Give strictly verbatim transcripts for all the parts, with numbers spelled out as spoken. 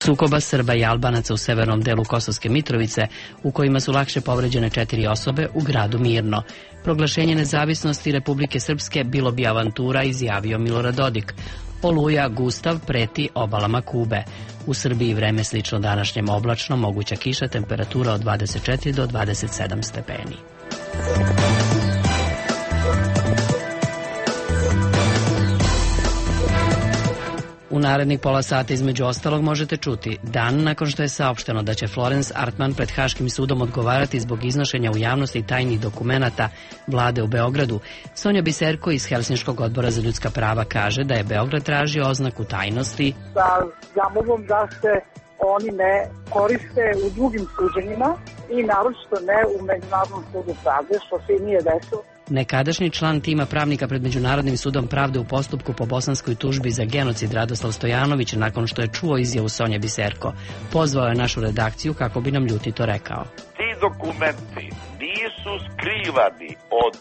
sukoba Srba i Albanaca u severnom delu Kosovske Mitrovice, u kojima su lakše povređene četiri osobe u gradu Mirno. Proglašenje nezavisnosti Republike Srpske bilo bi avantura, izjavio Milorad Dodik. Oluja Gustav preti obalama Kube. U Srbiji vreme slično današnjem, oblačno, moguća kiša, temperatura od dvadeset četiri do dvadeset sedam stepeni. U narednih pola sata između ostalog možete čuti: dan nakon što je saopšteno da će Florence Artman pred Haškim sudom odgovarati zbog iznošenja u javnosti tajnih dokumenata vlade u Beogradu, Sonja Biserko iz Helsinškog odbora za ljudska prava kaže da je Beograd tražio oznaku tajnosti sa zamolbom da se oni ne koriste u drugim suđenjima i naročito ne u Međunarodnom sudu pravde, što se i nije desilo. Nekadašnji član tima pravnika pred Međunarodnim sudom pravde u postupku po bosanskoj tužbi za genocid Radoslav Stojanović, nakon što je čuo izjavu Sonje Biserko, pozvao je našu redakciju kako bi nam ljutito rekao: ti dokumenti nisu skrivani od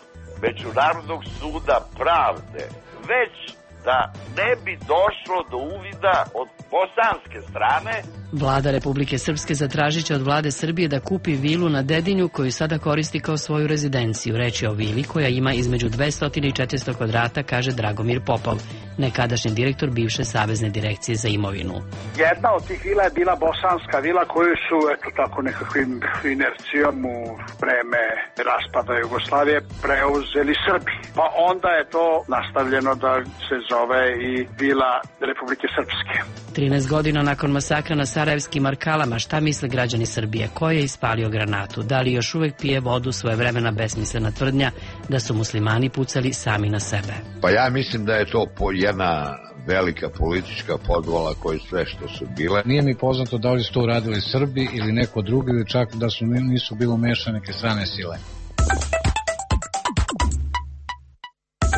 Međunarodnog suda pravde, već da ne bi došlo do uvida od bosanske strane. Vlada Republike Srpske zatražit će od vlade Srbije da kupi vilu na Dedinju, koju sada koristi kao svoju rezidenciju. Reč je o vili koja ima između dvesta i četiristo kvadrata, kaže Dragomir Popov, nekadašnji direktor bivše Savezne direkcije za imovinu. Jedna od tih vila je bila bosanska vila koju su, eto tako, nekakvim inercijom u vreme raspada Jugoslavije preuzeli Srbi. Pa onda je to nastavljeno da se zove i vila Republike Srpske. trinaest godina nakon masakra na sarajevskim Markalama, šta misle građani Srbije? Ko je ispalio granatu? Da li još uvek pije vodu svojevremena besmislena tvrdnja da su muslimani pucali sami na sebe? Pa ja mislim da je to jedna velika politička podvala koji sve što su bile. Nije mi poznato da li su to uradili Srbi ili neko drugi, ili čak da su nisu bilo umešane neke strane sile.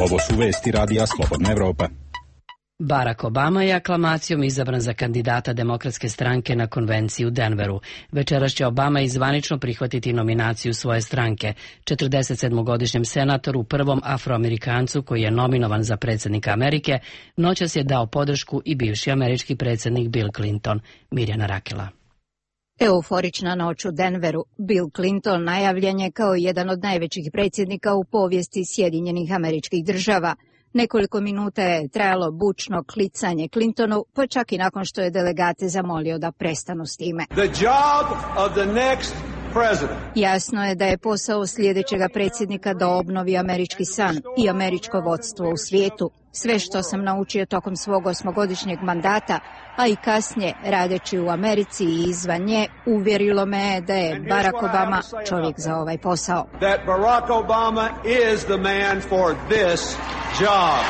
Ovo su vesti radija Slobodna Evropa. Barack Obama je aklamacijom izabran za kandidata Demokratske stranke na konvenciji u Denveru. Večeras će Obama izvanično prihvatiti nominaciju svoje stranke. četrdesetsedmogodišnjem senatoru, prvom Afroamerikancu koji je nominovan za predsjednika Amerike, noćas je dao podršku i bivši američki predsjednik Bill Clinton. Mirjana Rakela. Euforična noć u Denveru. Bill Clinton najavljen je kao jedan od najvećih predsjednika u povijesti Sjedinjenih Američkih Država. Nekoliko minuta je trajalo bučno klicanje Clintonu, pa čak i nakon što je delegate zamolio da prestanu s time. The job of the next president. Jasno je da je posao sljedećega predsjednika da obnovi američki san i američko vodstvo u svijetu. Sve što sam naučio tokom svog osmogodišnjeg mandata, a i kasnije radeći u Americi i izvan nje, uvjerilo me je da je Barack Obama čovjek za ovaj posao. That Barack Obama is the man for this job.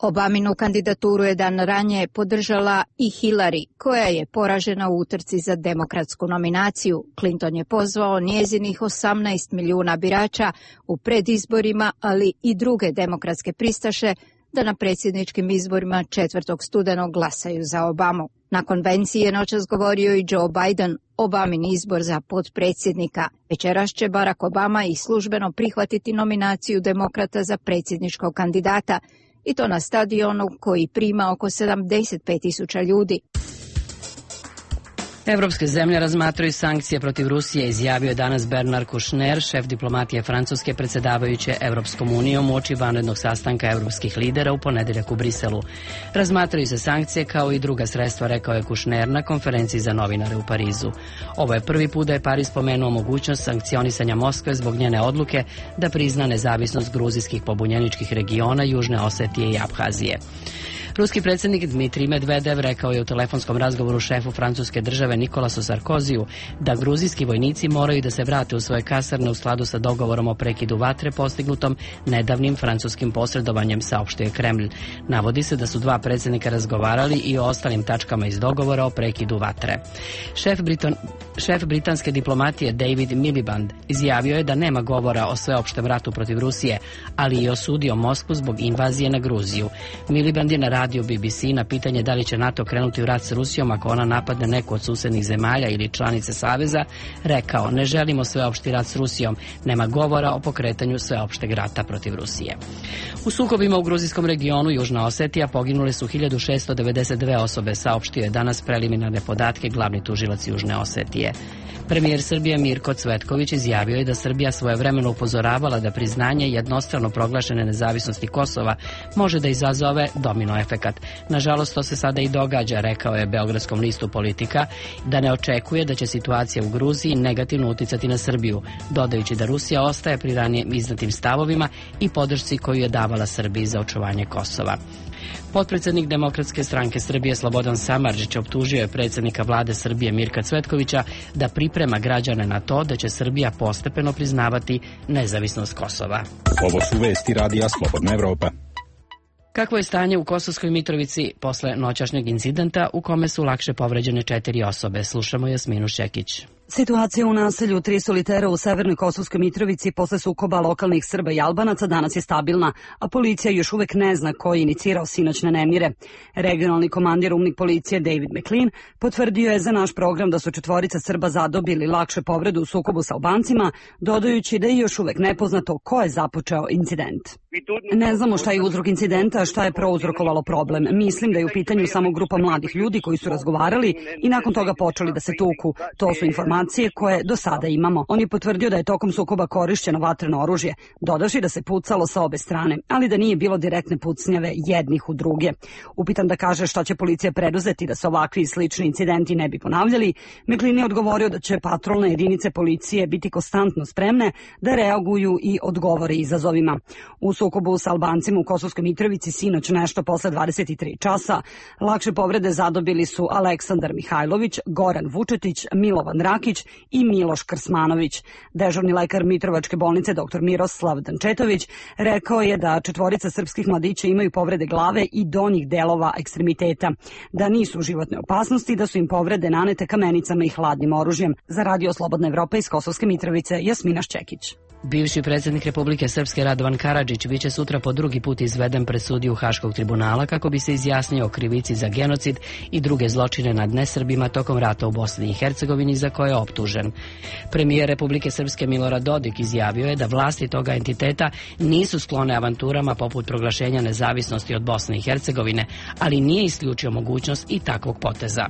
Obaminu kandidaturu je dan ranije podržala i Hillary, koja je poražena u utrci za demokratsku nominaciju. Clinton je pozvao njezinih osamnaest milijuna birača u predizborima, ali i druge demokratske pristaše, da na predsjedničkim izborima četvrtog studenog glasaju za Obamu. Na konvenciji je noćas govorio i Joe Biden, Obamin izbor za potpredsjednika. Večeras će Barack Obama i službeno prihvatiti nominaciju demokrata za predsjedničkog kandidata, i to na stadionu koji prima oko sedamdeset pet tisuća ljudi. Evropske zemlje razmatraju sankcije protiv Rusije, izjavio je danas Bernard Kouchner, šef diplomatije Francuske predsedavajuće Evropskom unijom uoči vanrednog sastanka evropskih lidera u ponedeljak u Briselu. Razmatraju se sankcije kao i druga sredstva, rekao je Kouchner na konferenciji za novinare u Parizu. Ovo je prvi put da je Pariz spomenuo mogućnost sankcionisanja Moskve zbog njene odluke da prizna nezavisnost gruzijskih pobunjeničkih regiona Južne Osetije i Abhazije. Ruski predsjednik Dmitrij Medvedev rekao je u telefonskom razgovoru šefu francuske države Nikolasu Sarkoziju da gruzijski vojnici moraju da se vrate u svoje kasarne u skladu sa dogovorom o prekidu vatre postignutom nedavnim francuskim posredovanjem, saopštio je Kremlj. Navodi se da su dva predsjednika razgovarali i o ostalim tačkama iz dogovora o prekidu vatre. Šef, Briton, šef britanske diplomatije David Miliband izjavio je da nema govora o sveopštem ratu protiv Rusije, ali i osudio Moskvu zbog invazije na Gruziju. Miliband je na radio B B C na pitanje da li će NATO krenuti u rat s Rusijom ako ona napadne neku od susednih zemalja ili članice Saveza, rekao: ne želimo sveopšti rat s Rusijom, nema govora o pokretanju sveopšteg rata protiv Rusije. U sukobima u gruzijskom regionu Južna Osetija poginule su hiljadu šessto devedeset dve osobe, saopštio je danas preliminarne podatke glavni tužilac Južne Osetije. Premijer Srbije Mirko Cvetković izjavio je da Srbija svojevremeno upozoravala da priznanje jednostrano proglašene nezavisnosti Kosova može da izazove domino efekat. Nažalost, to se sada i događa, rekao je Beogradskom listu Politika, da ne očekuje da će situacija u Gruziji negativno uticati na Srbiju, dodajući da Rusija ostaje pri ranije izdatim stavovima i podršci koju je davala Srbiji za očuvanje Kosova. Potpredsednik Demokratske stranke Srbije Slobodan Samardžić optužio je predsjednika vlade Srbije Mirka Cvetkovića da priprema građane na to da će Srbija postepeno priznavati nezavisnost Kosova. Ovo su vesti radija Slobodna Evropa. Kakvo je stanje u Kosovskoj Mitrovici posle noćašnjeg incidenta u kome su lakše povređene četiri osobe? Slušamo Jasminu Šekić. Situacija u naselju Tri Solitera u severnoj Kosovskoj Mitrovici posle sukoba lokalnih Srba i Albanaca danas je stabilna, a policija još uvek ne zna ko je inicirao sinoćne nemire. Regionalni komandir umnik policije David McLean potvrdio je za naš program da su četvorica Srba zadobili lakše povredu u sukobu sa Albancima, dodajući da je još uvek nepoznato ko je započeo incident. Ne znamo šta je uzrok incidenta, šta je prouzrokovalo problem. Mislim da je u pitanju samo grupa mladih ljudi koji su razgovarali i nakon toga počeli da se tuku. To su informacije koje do sada imamo. On je potvrdio da je tokom sukoba korišćeno vatreno oružje, dodavši da se pucalo sa obe strane, ali da nije bilo direktne pucnjave jednih u druge. Upitan da kaže šta će policija preduzeti da se ovakvi i slični incidenti ne bi ponavljali, McLean je odgovorio da će patrolne jedinice policije biti konstantno spremne da reaguju i odgovore izazovima. U sukobu sa Albancima u Kosovskoj Mitrovici sinoć nešto posle dvadeset tri časa lakše povrede zadobili su Aleksandar Mihajlović, Goran Vučetić, Milovan Rakić i Miloš Krsmanović. Dežurni lekar Mitrovačke bolnice dr Miroslav Dančetović rekao je da četvorica srpskih mladića imaju povrede glave i donjih delova ekstremiteta, da nisu u životnoj opasnosti i da su im povrede nanete kamenicama i hladnim oružjem. Za Radio Slobodna Evropa iz Kosovske Mitrovice, Jasmina Ščekić. Bivši predsjednik Republike Srpske Radovan Karadžić biće sutra po drugi put izveden pred sudiju Haškog tribunala kako bi se izjasnio o krivici za genocid i druge zločine nad nesrbima tokom rata u Bosni i Hercegovini za koje je optužen. Premijer Republike Srpske Milorad Dodik izjavio je da vlasti toga entiteta nisu sklone avanturama poput proglašenja nezavisnosti od Bosne i Hercegovine, ali nije isključio mogućnost i takvog poteza.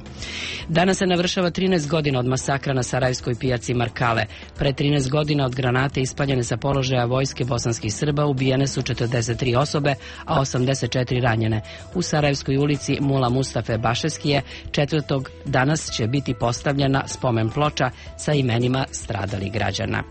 Danas se navršava trinaest godina od masakra na sarajevskoj pijaci Markale. Pre trinaest godina od granate ispaljene sa položaja vojske bosanskih Srba ubijene su četrdeset tri osobe, a osamdeset četiri ranjene. U Sarajevskoj ulici Mula Mustafe Bašeskije četvrtog danas će biti postavljena spomen ploča sa imenima stradalih građana.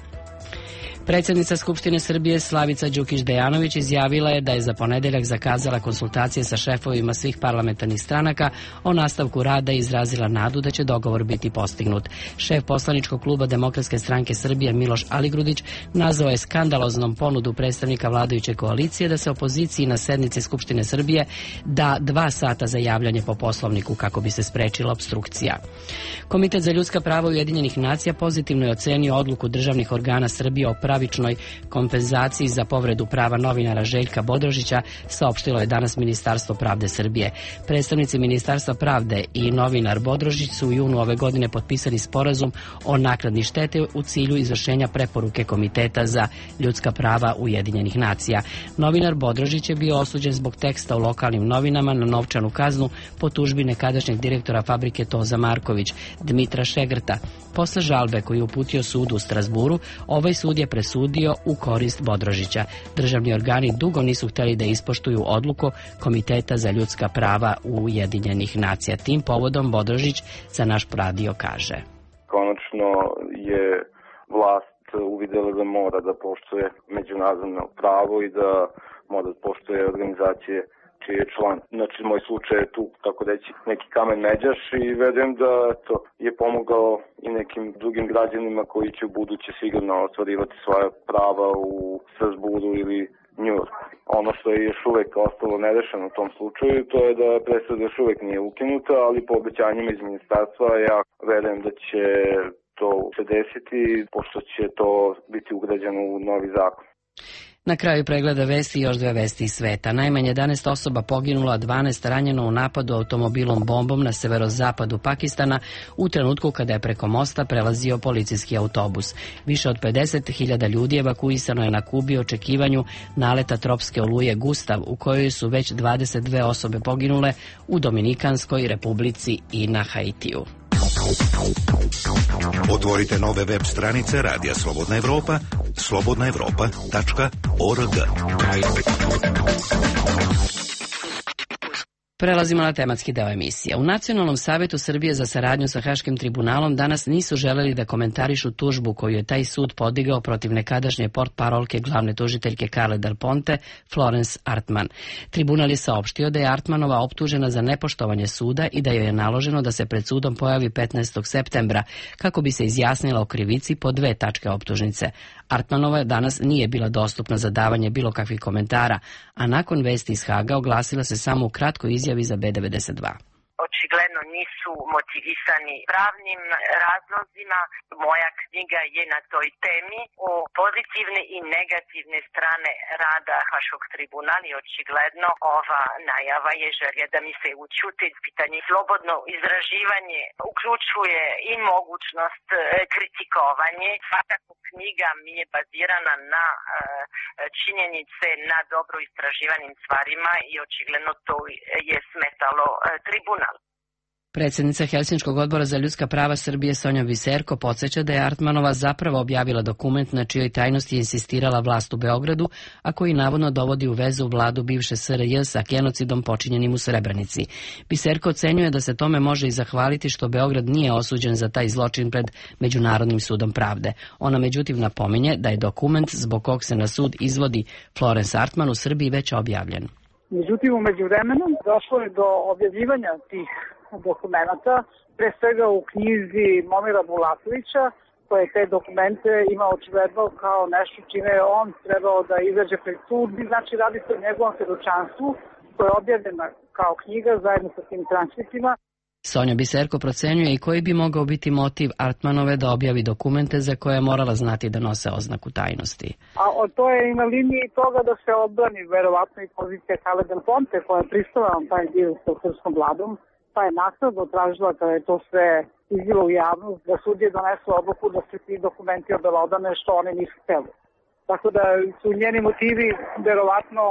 Predsjednica Skupštine Srbije Slavica Đukić-Dejanović izjavila je da je za ponedeljak zakazala konsultacije sa šefovima svih parlamentarnih stranaka o nastavku rada i izrazila nadu da će dogovor biti postignut. Šef poslaničkog kluba Demokratske stranke Srbije Miloš Aligrudić nazvao je skandaloznom ponudu predstavnika vladajuće koalicije da se opoziciji na sednici Skupštine Srbije da dva sata za javljanje po Poslovniku kako bi se sprečila opstrukcija. Komitet za ljudska prava Ujedinjenih nacija pozitivno je ocenio odluku državnih organa Srbije o pravičnoj kompenzaciji za povredu prava novinara Željka Bodrožića, saopštilo je danas Ministarstvo pravde Srbije. Predstavnici Ministarstva pravde i novinar Bodrožić su u junu ove godine potpisali sporazum o naknadi štete u cilju izvršenja preporuke Komiteta za ljudska prava Ujedinjenih nacija. Novinar Bodrožić je bio osuđen zbog teksta u lokalnim novinama na novčanu kaznu po tužbi nekadašnjeg direktora fabrike Toza Marković, Dmitra Šegrta. Posle žalbe koju je uputio sudu u Strasburu, ovaj sud je presudio u korist Bodrožića. Državni organi dugo nisu hteli da ispoštuju odluku Komiteta za ljudska prava Ujedinjenih nacija. Tim povodom Bodrožić za naš radio kaže: Konačno je vlast uvidela da mora da poštuje međunarodno pravo i da mora da poštuje organizacije čiji je član. Znači, moj slučaj je tu, tako reći, neki kamen međaš i verujem da to je pomogao i nekim drugim građanima koji će u buduće sigurno ostvarivati svoja prava u Strasburu ili Njujorku. Ono što je još uvek ostalo nerešeno u tom slučaju, to je da presuda još uvek nije ukinuta, ali po obećanjima iz ministarstva ja verujem da će to se desiti, pošto će to biti ugrađeno u novi zakon. Na kraju pregleda vesti još dve vesti iz sveta. Najmanje jedanaest osoba poginulo, a dvanaest ranjeno u napadu automobilom bombom na severozapadu Pakistana u trenutku kada je preko mosta prelazio policijski autobus. Više od pedeset hiljada ljudi evakuisano je na Kubi u očekivanju naleta tropske oluje Gustav, u kojoj su već dvadeset dve osobe poginule u Dominikanskoj republici i na Haitiju. Otvorite nove web stranice Radija Slobodna Evropa, slobodna evropa tačka org. Prelazimo na tematski deo emisije. U Nacionalnom savetu Srbije za saradnju sa Haškim tribunalom danas nisu želeli da komentarišu tužbu koju je taj sud podigao protiv nekadašnje portparolke glavne tužiteljke Carle Del Ponte, Florence Artman. Tribunal je saopštio da je Artmanova optužena za nepoštovanje suda i da joj je naloženo da se pred sudom pojavi petnaestog septembra kako bi se izjasnila o krivici po dve tačke optužnice. Artmanova danas nije bila dostupna za davanje bilo kakvih komentara, a nakon vesti iz Haga oglasila se samo u kratkoj izjavi za B devedeset dva. Očigledno nisu motivisani pravnim razlozima. Moja knjiga je na toj temi o pozitivne i negativne strane rada Haškog tribunala i očigledno ova najava je želja da mi se učuti pitanje. Slobodno izraživanje uključuje i mogućnost kritikovanje. Svakako knjiga mi je bazirana na činjenice, na dobro istraživanim stvarima i očigledno to je smetalo tribunal. Predsjednica Helsinškog odbora za ljudska prava Srbije Sonja Biserko podsjeća da je Artmanova zapravo objavila dokument na čijoj tajnosti je insistirala vlast u Beogradu, a koji navodno dovodi u vezu vladu bivše S R J sa genocidom počinjenim u Srebrenici. Biserko ocenjuje da se tome može i zahvaliti što Beograd nije osuđen za taj zločin pred Međunarodnim sudom pravde. Ona međutim napominje da je dokument zbog kog se na sud izvodi Florence Artman u Srbiji već objavljen. Međutim, u međuvremenu došlo je do objavljivanja tih dokumenta, pre svega u knjizi Momira Bulatovića, koje te dokumente ima očigledno kao nešto čime je on trebao da izađe pred sud. Znači, radi se o njegovom svedočanstvu koje je objavljena kao knjiga zajedno sa tim transkriptima. Sonja Biserko procenjuje i koji bi mogao biti motiv Artmanove da objavi dokumente za koje je morala znati da nose oznaku tajnosti. A to je i na liniji toga da se odbrani verovatno i pozicija Carle Del Ponte koja je pristala na taj dio sa srpskom vladom, pa je naknadno tražila kada je to sve izbilo u javnost da sudije donesu odluku da se ti dokumenti obelodane što oni nisu hteli. Tako da su njeni motivi verovatno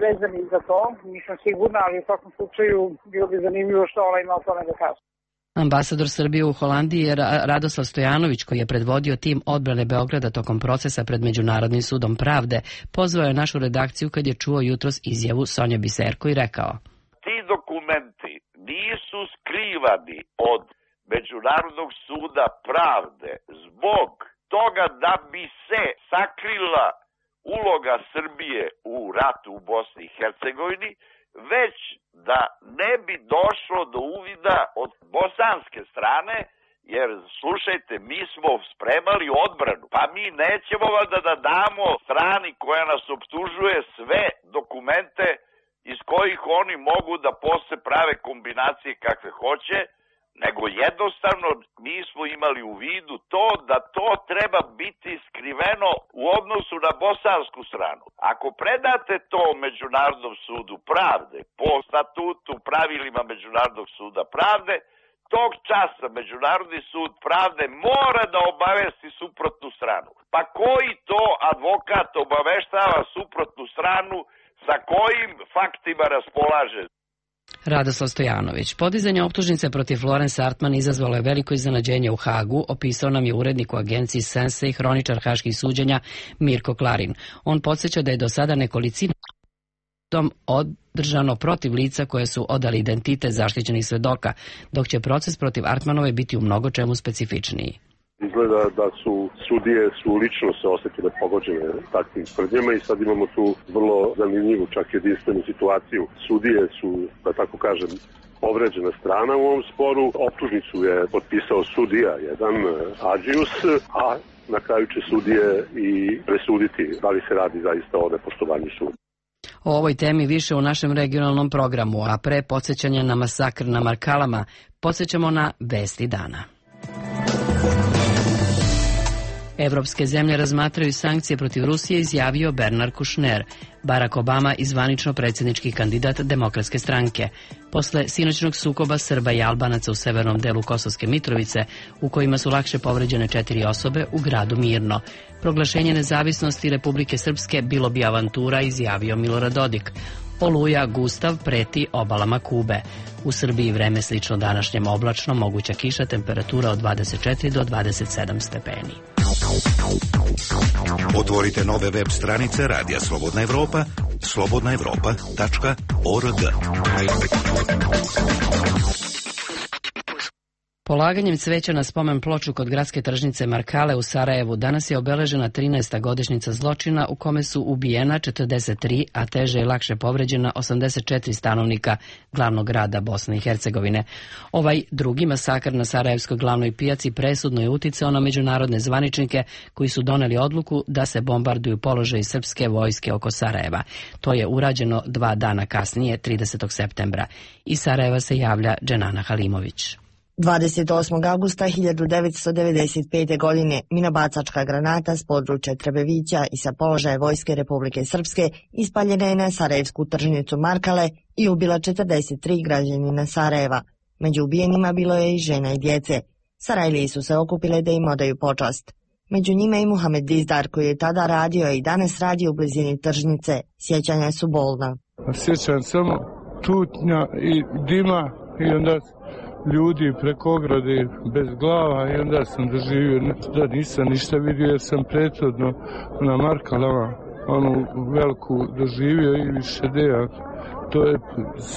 vezani za to, nisam sigurna, ali u svakom slučaju bilo bi zanimljivo što ona ima o tome da kaže. Ambasador Srbije u Holandiji je Radoslav Stojanović, koji je predvodio tim odbrane Beograda tokom procesa pred Međunarodnim sudom pravde, pozvao je našu redakciju kad je čuo jutros izjavu Sonje Biserko i rekao: Ti dokumenti nisu skrivani od Međunarodnog suda pravde zbog toga da bi se sakrila uloga Srbije u ratu u Bosni i Hercegovini, već da ne bi došlo do uvida od bosanske strane, jer slušajte, mi smo spremali odbranu, pa mi nećemo valjda da damo strani koja nas optužuje sve dokumente iz kojih oni mogu da posle prave kombinacije kakve hoće, nego jednostavno mi smo imali u vidu to da to treba biti skriveno u odnosu na bosansku stranu. Ako predate to Međunarodnom sudu pravde, po statutu, pravilima Međunarodnog suda pravde, tog časa Međunarodni sud pravde mora da obavesti suprotnu stranu. Pa koji to advokat obaveštava suprotnu stranu, sa kojim faktima raspolaže? Radoslav Stojanović. Podizanje optužnice protiv Florence Artman izazvalo je veliko iznenađenje u Hagu, opisao nam je urednik u agenciji Sense i hroničar haških suđenja Mirko Klarin. On podsjeća da je do sada nekolicina održano protiv lica koje su odali identitet zaštićenih svedoka, dok će proces protiv Artmanove biti u mnogo čemu specifičniji. Izgleda da su sudije su lično se osjetile pogođene takvim tvrdnjama i sad imamo tu vrlo zanimljivu, čak jedinstvenu situaciju. Sudije su, da tako kažem, povređena strana u ovom sporu. Optužnicu je potpisao sudija, jedan Adžius, a na kraju će sudije i presuditi da li se radi zaista o nepoštovanju suda. O ovoj temi više u našem regionalnom programu, a pre podsjećanja na masakr na Markalama, podsjećamo na vesti dana. Evropske zemlje razmatraju sankcije protiv Rusije, izjavio Bernard Kouchner, Barack Obama i zvanično predsjednički kandidat Demokratske stranke. Posle sinoćnog sukoba Srba i Albanaca u severnom delu Kosovske Mitrovice, u kojima su lakše povređene četiri osobe u gradu Mirno. Proglašenje nezavisnosti Republike Srpske bilo bi avantura, izjavio Milorad Dodik. Oluja Gustav preti obalama Kube. U Srbiji vreme slično današnjem oblačno, moguća kiša, temperatura od dvadeset četiri do dvadeset sedam stepeni. Otvorite nove web stranice Radija Slobodna Evropa, slobodna evropa tačka org. Polaganjem cveća na spomen ploču kod gradske tržnice Markale u Sarajevu danas je obeležena trinaesta godišnjica zločina u kome su ubijena četrdeset tri, a teže i lakše povređena osamdeset četiri stanovnika glavnog grada Bosne i Hercegovine. Ovaj drugi masakr na Sarajevskoj glavnoj pijaci presudno je uticao na međunarodne zvaničnike koji su doneli odluku da se bombarduju položaji srpske vojske oko Sarajeva. To je urađeno dva dana kasnije, tridesetog septembra. Iz Sarajeva se javlja Dženana Halimović. dvadeset osmog avgusta hiljadu devetsto devedeset pete. godine minobacačka granata s područja Trebevića i sa položaja vojske Republike Srpske ispaljena je na sarajevsku tržnicu Markale i ubila četrdeset tri građanina Sarajeva. Među ubijenima bilo je i žena i djece. Sarajlije su se okupile da im odaju počast. Među njima i Muhamed Dizdar, koji je tada radio i danas radi u blizini tržnice. Sjećanja su bolna. Sjećam samo tutnja i dima i onda ljudi preko ograde bez glava i onda sam doživio da nisam ništa vidio jer sam prethodno na Markalama onu veliku doživio i više deja. To je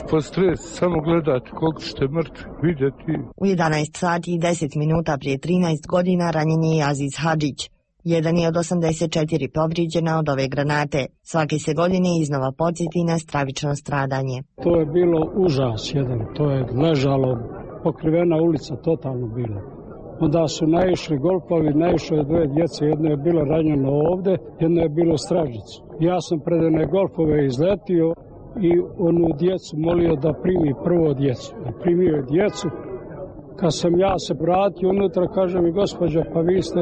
postres, samo gledati koliko ćete mrtvi vidjeti. U jedanaest sati i deset minuta prije trinaest godina ranjen je Aziz Hadžić. Jedan je od osamdeset četiri povrijeđena od ove granate. Svake se godine iznova podsjeti na stravično stradanje. To je bilo užas jedan, to je ležalo, pokrivena ulica totalno bila. Onda su naišli golfovi, naišlo je dvoje djece, jedno je bilo ranjeno ovde, jedno je bilo stražicu. Ja sam pred one golfove izletio i onu djecu molio da primi prvo djecu. Primio je djecu. Kad sam ja se vratio unutra, kaže mi gospođa, pa vi ste,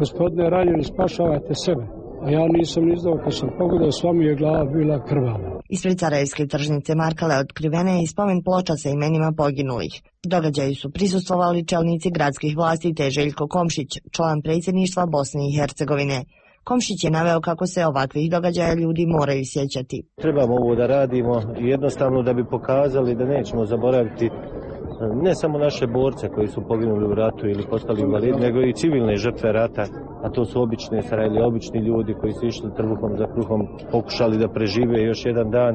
gospodine, ranjeni, spašavate sebe. A ja nisam izdao, kad sam pogledao, sva mi je glava bila krvava. Ispred Sarajevske tržnice Markale otkrivena je i spomen ploča sa imenima poginulih. Događaju su prisustvovali čelnici gradskih vlasti te Željko Komšić, član predsjedništva Bosne i Hercegovine. Komšić je naveo kako se ovakvih događaja ljudi moraju sjećati. Trebamo ovo da radimo jednostavno da bi pokazali da nećemo zaboraviti ne samo naše borce koji su poginuli u ratu ili postali invalidi, nego i civilne žrtve rata, a to su obične Sarajlije, obični ljudi koji su išli trbuhom za kruhom, pokušali da prežive još jedan dan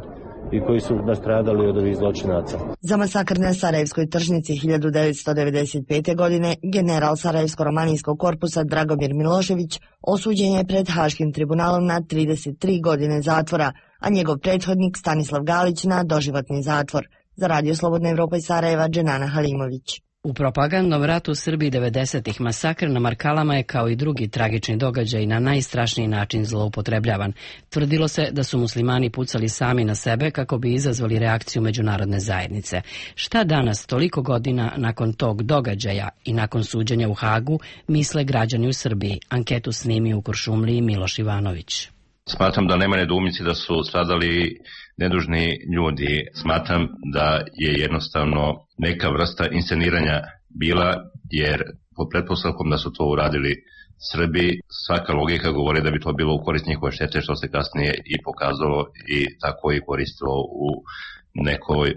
i koji su nastradali od ovih zločinaca. Za masakr na Sarajevskoj tržnici hiljadu devetsto devedeset pete. godine general Sarajevsko-romanijskog korpusa Dragomir Milošević osuđen je pred Haškim tribunalom na trideset tri godine zatvora, a njegov prethodnik Stanislav Galić na doživotni zatvor. Za Radio Slobodna Evropa iz Sarajeva, Dženana Halimović. U propagandnom ratu u Srbiji devedesetih masakr na Markalama je kao i drugi tragični događaj na najstrašniji način zloupotrebljavan. Tvrdilo se da su muslimani pucali sami na sebe kako bi izazvali reakciju međunarodne zajednice. Šta danas, toliko godina nakon tog događaja i nakon suđenja u Hagu, misle građani u Srbiji? Anketu snimio u Kuršumliji Miloš Ivanović. Smatram da nema nedoumice da su stradali nedužni ljudi. Smatram da je jednostavno neka vrsta insceniranja bila, jer po pretpostavkom da su to uradili Srbi, svaka logika govori da bi to bilo u korist njihove štete, što se kasnije i pokazalo i tako i koristilo u nekoj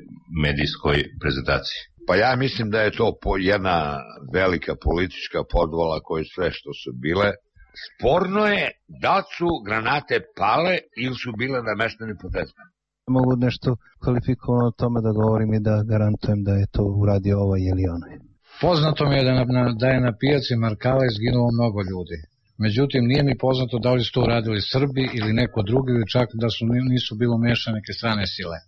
medijskoj prezentaciji. Pa ja mislim da je to jedna velika politička podvala koje sve što su bile. Sporno je da su granate pale ili su bile nameštene potezne. Mogu nešto kvalifikovano o tome da govorim i da garantujem da je to uradio ovaj ili onaj. Poznato mi je da, na, da je na pijaci Markale izginulo mnogo ljudi. Međutim, nije mi poznato da li su to uradili Srbi ili neko drugi, ili čak da su nisu bilo umešane neke strane sile.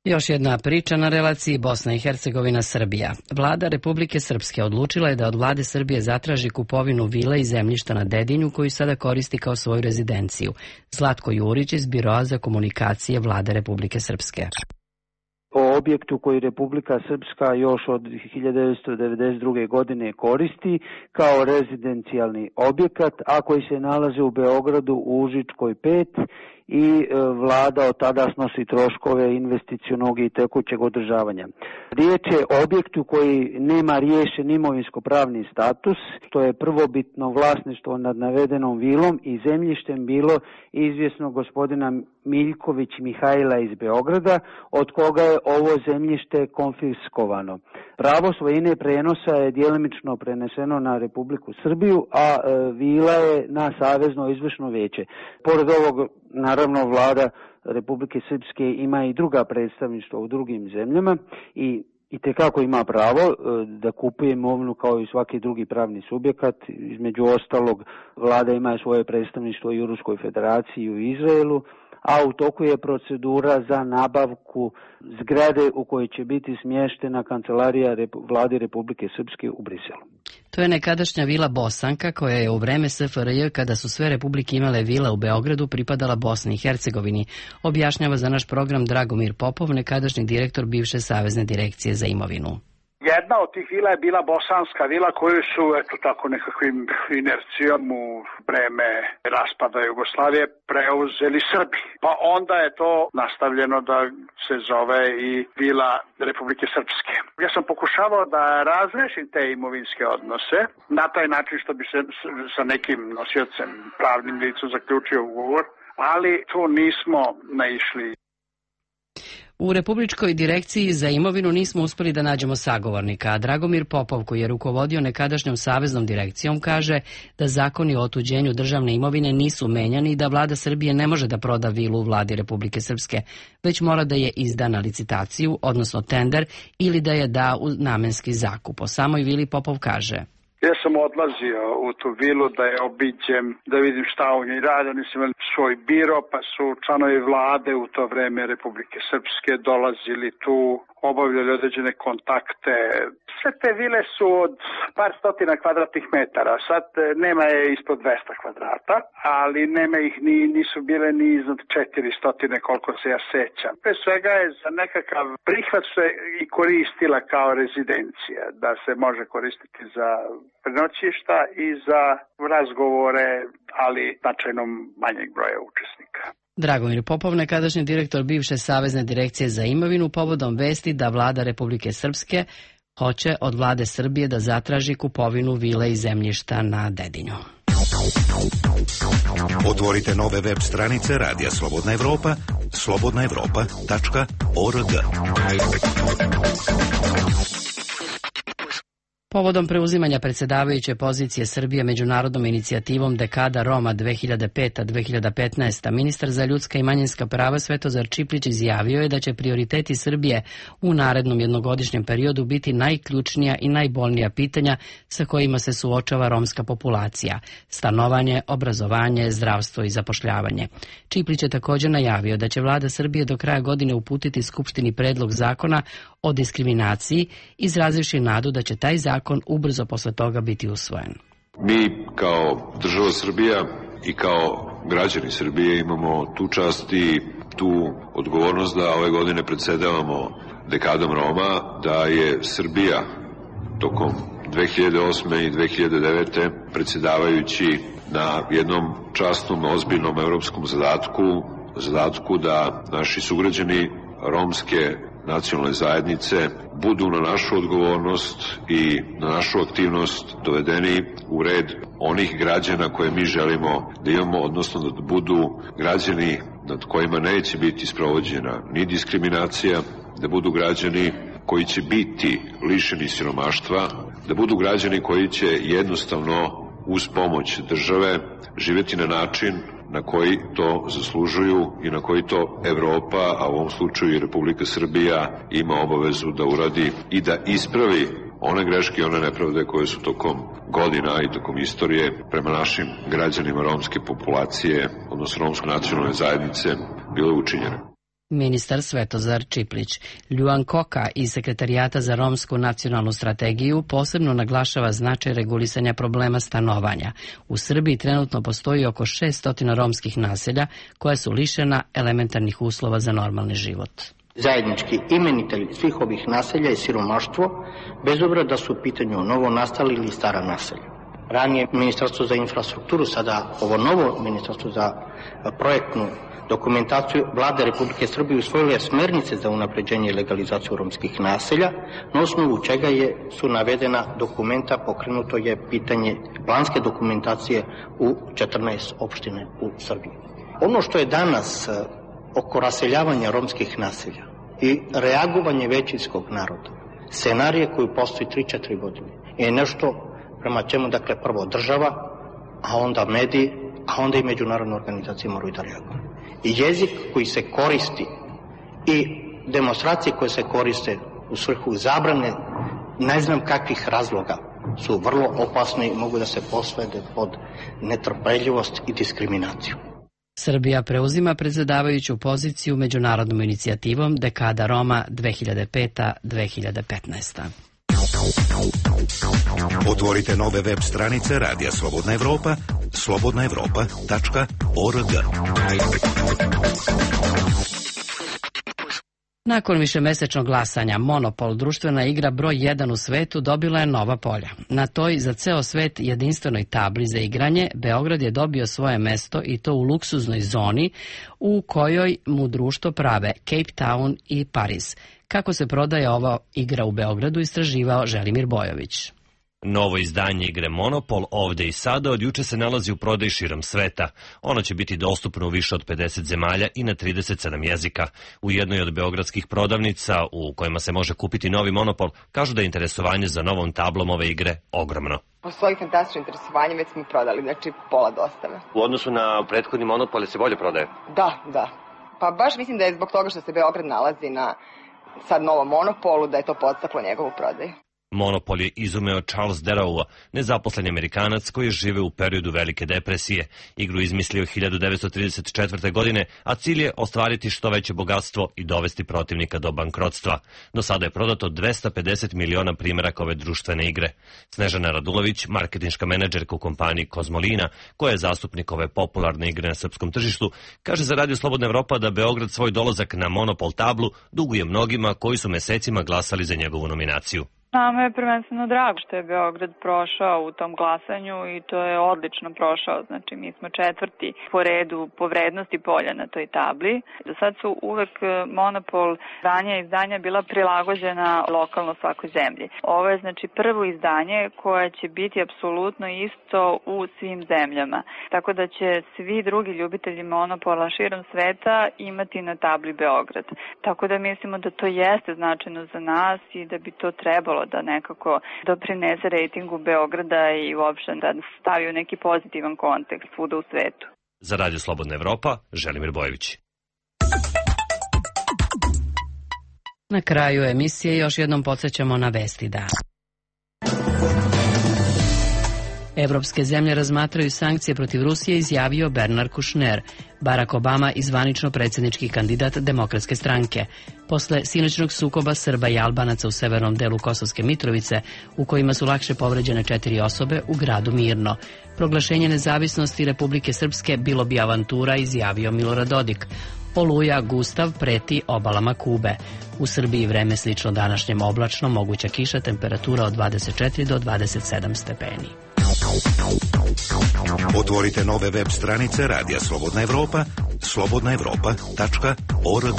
Još jedna priča na relaciji Bosna i Hercegovina-Srbija. Vlada Republike Srpske odlučila je da od vlade Srbije zatraži kupovinu vile i zemljišta na Dedinju koju sada koristi kao svoju rezidenciju. Zlatko Jurić iz Biroa za komunikacije vlade Republike Srpske. Po objektu koji Republika Srpska još od hiljadu devetsto devedeset druge. godine koristi kao rezidencijalni objekat, a koji se nalazi u Beogradu u Užičkoj pet i vlada od tada snosi troškove investicionog i tekućeg održavanja. Riječ je o objektu koji nema riješen imovinsko-pravni status, to je prvobitno vlasništvo nad navedenom vilom i zemljištem bilo izvjesno gospodina Miljković Mihajla iz Beograda, od koga je ovo zemljište konfiskovano. Pravo svojine prenosa je djelimično preneseno na Republiku Srbiju, a e, vila je na Savezno izvršno vijeće. Pored ovog, naravno, vlada Republike Srpske ima i druga predstavništva u drugim zemljama i i tekako ima pravo da kupuje imovinu kao i svaki drugi pravni subjekat. Između ostalog, vlada ima svoje predstavništvo i u Ruskoj federaciji i u Izraelu, a u toku je procedura za nabavku zgrade u kojoj će biti smještena kancelarija vlade Republike Srpske u Briselu. To je nekadašnja vila Bosanka koja je u vreme S F R J, kada su sve republike imale vile u Beogradu, pripadala Bosni i Hercegovini, objašnjava za naš program Dragomir Popov, nekadašnji direktor bivše Savezne direkcije za imovinu. Jedna od tih vila je bila bosanska vila koju su, eto tako, nekakvim inercijom u vreme raspada Jugoslavije preuzeli Srbi. Pa onda je to nastavljeno da se zove i vila Republike Srpske. Ja sam pokušavao da razrešim te imovinske odnose na taj način što bi se sa nekim nosiocem, pravnim licom zaključio ugovor, ali tu nismo naišli. U Republičkoj direkciji za imovinu nismo uspjeli da nađemo sagovornika, a Dragomir Popov, koji je rukovodio nekadašnjom saveznom direkcijom, kaže da zakoni o otuđenju državne imovine nisu menjani i da vlada Srbije ne može da proda vilu u vladi Republike Srpske, već mora da je izda na licitaciju, odnosno tender, ili da je da u namenski zakup. O samoj vili Popov kaže: Ja sam odlazio u tu vilu da je obiđem, da vidim šta u njoj rade. Oni su imali svoj biro, pa su članovi vlade u to vreme Republike Srpske dolazili tu, obavljali određene kontakte. Sve te vile su od par stotina kvadratnih metara. Sad nema je ispod dvesta kvadrata, ali nema ih ni, nisu bile ni iznad četiristo koliko se ja sećam. Pre svega je za nekakav prihvat se i koristila kao rezidencija, da se može koristiti za prenoćišta i za razgovore, ali značajno manjeg broja učesnika. Dragomir Popov, nekadašnji direktor bivše Savezne direkcije za imovinu, povodom vesti da vlada Republike Srpske hoće od vlade Srbije da zatraži kupovinu vile i zemljišta na Dedinju. Otvorite nove web stranice Radija Slobodna Evropa, slobodna evropa tačka org. Povodom preuzimanja predsjedavajuće pozicije Srbije međunarodnom inicijativom Dekada Roma dve hiljade peta do dve hiljade petnaesta. ministar za ljudska i manjinska prava Svetozar Čiplić izjavio je da će prioriteti Srbije u narednom jednogodišnjem periodu biti najključnija i najbolnija pitanja sa kojima se suočava romska populacija: stanovanje, obrazovanje, zdravstvo i zapošljavanje. Čiplić je također najavio da će vlada Srbije do kraja godine uputiti Skupštini predlog zakona o diskriminaciji, izrazivši nadu da će taj zakon ubrzo posle toga biti usvojen. Mi kao država Srbija i kao građani Srbije imamo tu čast i tu odgovornost da ove godine predsedavamo Dekadom Roma, da je Srbija tokom dve hiljade osme i dve hiljade devete predsedavajući na jednom časnom, ozbiljnom evropskom zadatku, zadatku da naši sugrađani romske nacionalne zajednice budu na našu odgovornost i na našu aktivnost dovedeni u red onih građana koje mi želimo da imamo, odnosno da budu građani nad kojima neće biti sprovođena ni diskriminacija, da budu građani koji će biti lišeni siromaštva, da budu građani koji će jednostavno uz pomoć države živjeti na način na koji to zaslužuju i na koji to Evropa, a u ovom slučaju i Republika Srbija, ima obavezu da uradi i da ispravi one greške i one nepravde koje su tokom godina i tokom istorije prema našim građanima romske populacije, odnosno romske nacionalne zajednice, bile učinjene. Ministar Svetozar Čiplić. Ljuan Koka iz Sekretarijata za romsku nacionalnu strategiju posebno naglašava značaj regulisanja problema stanovanja. U Srbiji trenutno postoji oko šessto romskih naselja koja su lišena elementarnih uslova za normalni život. Zajednički imenitelj svih ovih naselja je siromaštvo, bez obzira da su u pitanju novo nastali ili stara naselja. Ranije Ministarstvo za infrastrukturu, sada ovo novo Ministarstvo za projektnu dokumentaciju Vlade Republike Srbije usvojilo je smernice za unapređenje i legalizaciju romskih naselja, na osnovu čega je, su navedena dokumenta, pokrenuto je pitanje planske dokumentacije u četrnaest opštine u Srbiji. Ono što je danas oko raseljavanja romskih naselja i reagovanje većinskog naroda, scenarije koji postoji tri četiri godine, je nešto prema čemu, dakle, prvo država, a onda mediji, a onda i međunarodne organizacije moraju da reaguju. I jezik koji se koristi i demonstracije koje se koriste u svrhu zabrane ne znam kakvih razloga su vrlo opasni i mogu da se posvede pod netrpeljivost i diskriminaciju. Srbija preuzima predsjedavajuću poziciju međunarodnom inicijativom Dekada Roma dve hiljade peta do dve hiljade petnaesta. Otvorite nove web stranice Radija Slobodna Evropa, slobodna evropa tačka org. Nakon višemesečnog glasanja, Monopol, društvena igra broj jedan u svetu, dobila je nova polja. Na toj za ceo svet jedinstvenoj tabli za igranje, Beograd je dobio svoje mesto i to u luksuznoj zoni u kojoj mu društvo prave Cape Town i Pariz. Kako se prodaje ova igra u Beogradu, istraživao Želimir Bojović. Novo izdanje igre Monopol ovde i sada od juče se nalazi u prodaji širom sveta. Ono će biti dostupno u više od pedeset zemalja i na trideset sedam jezika. U jednoj od beogradskih prodavnica u kojima se može kupiti novi Monopol kažu da je interesovanje za novom tablom ove igre ogromno. Postoji fantastično interesovanje, već smo prodali, znači pola dostave. U odnosu na prethodni Monopol se bolje prodaje? Da, da. Pa baš mislim da je zbog toga što se Beograd nalazi na sad novom Monopolu, da je to podstaklo njegovu prodaju. Monopol je izumeo Charles Darrow, nezaposleni Amerikanac koji žive u periodu Velike depresije. Igru izmislio hiljadu devetsto trideset četvrte. godine, a cilj je ostvariti što veće bogatstvo i dovesti protivnika do bankrotstva. Do sada je prodato dvesta pedeset miliona primjeraka ove društvene igre. Snežana Radulović, marketinška menadžerka u kompaniji Kozmolina, koja je zastupnik ove popularne igre na srpskom tržištu, kaže za Radio Slobodna Evropa da Beograd svoj dolazak na Monopol tablu duguje mnogima koji su mesecima glasali za njegovu nominaciju. Nama je prvenstveno drago što je Beograd prošao u tom glasanju i to je odlično prošao. Znači, mi smo četvrti po redu po vrednosti polja na toj tabli. Do sad su uvek Monopol izdanja izdanja bila prilagođena lokalno svakoj zemlji. Ovo je znači prvo izdanje koje će biti apsolutno isto u svim zemljama. Tako da će svi drugi ljubitelji Monopola širom sveta imati na tabli Beograd. Tako da mislimo da to jeste značajno za nas i da bi to trebalo da nekako doprinese rejtingu Beograda i uopšte da stavi u neki pozitivan kontekst svuda u svetu. Za Radio Slobodna Evropa, Želimir Bojović. Na kraju emisije još jednom podsjećamo na vesti dana. Evropske zemlje razmatraju sankcije protiv Rusije, izjavio Bernard Kouchner, Barack Obama i zvanično predsjednički kandidat Demokratske stranke. Posle sinoćnog sukoba Srba i Albanaca u severnom delu Kosovske Mitrovice, u kojima su lakše povređene četiri osobe u gradu Mirno. Proglašenje nezavisnosti Republike Srpske bilo bi avantura, izjavio Milorad Dodik. Oluja Gustav preti obalama Kube. U Srbiji vreme slično današnjem oblačno, moguća kiša, temperatura od dvadeset četiri do dvadeset sedam stepeni. Otvorite nove web stranice Radija Slobodna Evropa, slobodna evropa tačka org.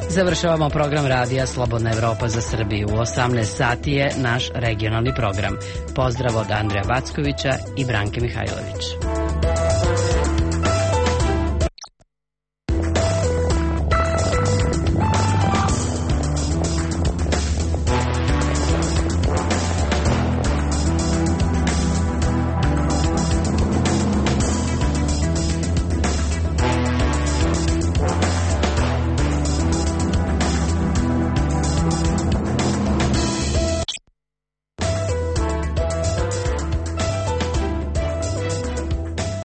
Završavamo program Radija Slobodna Evropa za Srbiju. U osamnaest sati je naš regionalni program. Pozdrav od Andreja Vackovića i Branke Mihajlović.